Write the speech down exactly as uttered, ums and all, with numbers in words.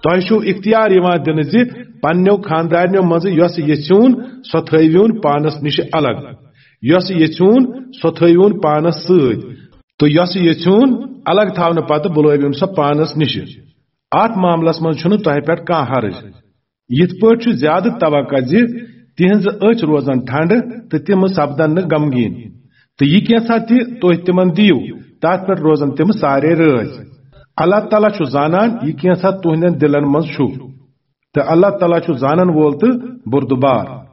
تۄہہِ چھُو اختیار یِوان دِنہٕ زِ پننیو خاندارنیو منٛزٕ یۄس یژھیون، سۄ تھٲوِوُن پانس نِش الگ، یۄس یژھیون، سۄ تھٲوِوُن پانس سۭتۍ، تہٕ یۄس یژھیون الگ تھاونہٕ پتہٕ بُلٲوِوُن سۄ پانس نِش۔ اتھ معاملس منٛز چھُنہٕ تۄہہِ پٮ۪ٹھ کانٛہہ حرج۔ یِتھ پٲٹھۍ چھُ زیادٕ توقع زِ تِہنٛز أچھ روزن ٹھنڈٕ تہٕ تِم سپدن نہٕ غمگیٖن۔ تہٕ یہِ کینٛژھا تہِ تُہۍ تِمن دِیِو، تتھ پٮ۪ٹھ روزن تِم سارے رٲضۍ۔ اللہ تعالیٰ چھُ زانان یہِ کینٛژھا تُہنٛدٮ۪ن دِلن منٛز چھُ، تہٕ اللہ تعالیٰ چھُ زانن وول تہٕ بردبار۔